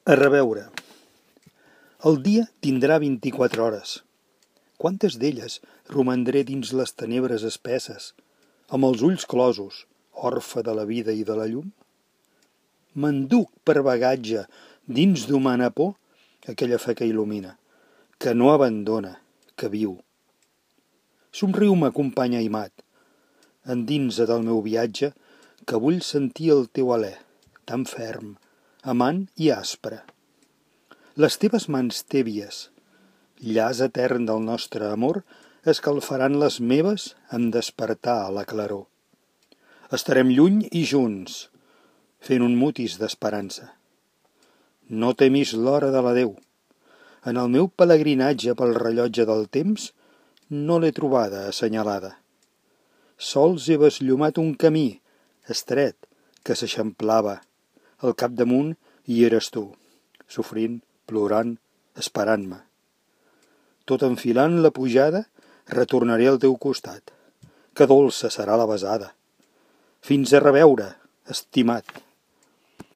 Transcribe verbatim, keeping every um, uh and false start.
A reveure. El dia tindrà vint-i-quatre hores. Quantes d'elles romandré dins les tenebres espesses, amb els ulls closos, orfe de la vida i de la llum? M'enduc per bagatge, dins d'humana por, aquella fe que il·lumina, que no abandona, que viu. Somriu-me, company aimat, endinsa del meu viatge, que vull sentir el teu alè, tan ferm, amant i aspre. Les teves mans tèbies, llaç etern del nostre amor, escalfaran les meves en despertar a la claror. Estarem lluny i junts, fent un mutis d'esperança. No temis l'hora de l'adeu. En el meu pelegrinatge pel rellotge del temps no l'he trobada assenyalada. Sols he besllumat un camí estret que s'eixamplava. Al capdamunt hi eres tu, sofrint, plorant, esperant-me. Tot enfilant la pujada, retornaré al teu costat. Que dolça serà la besada. Fins a reveure, estimat.